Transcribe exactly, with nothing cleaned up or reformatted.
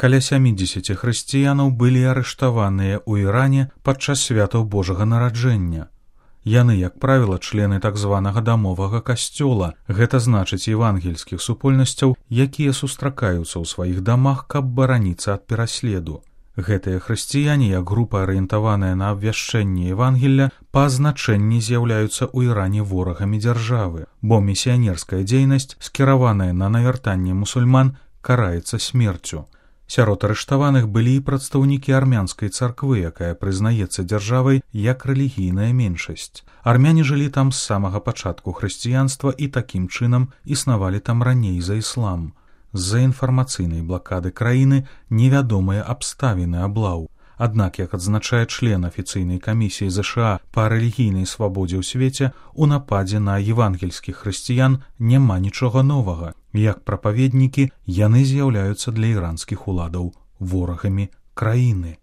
Каля сямідзесяці хрысціянаў былі арыштаваныя ў Іране падчас святаў Божага нараджэння. Яны, як правіла, члены так званага дамовага касцёла, гэта значыць евангельскіх супольнасцяў, якія сустракаюцца ў сваіх дамах, каб бараніцца ад пераследу. Гэтыя хрысціяне, як група арыентаваная на абвяшчэнне Евангелля, па азначэнні з'яўляюцца ў Іране ворагамі дзяржавы, бо місіянерская дзейнасць, скіраваная на навяртанне мусульман, караецца смерцю. Сярод арыштаваных былі і прадстаўнікі армянскай царквы, якая прызнаецца дзяржавай як рэлігійная меншасць. Армяне жылі там з самага пачатку хрысціянства і такім чынам існавалі там раней за іслам. З-за інфармацыйнай блакады краіны невядомыя абставіны аблаў. Аднак, як адзначае член афіцыйнай камісіі ЗША па рэлігійнай свабодзе ў свеце, у нападзе на евангельскіх хрысціян няма нічога новага. Як прапаведнікі, яны з'яўляюцца для іранскіх уладаў ворагамі краіны.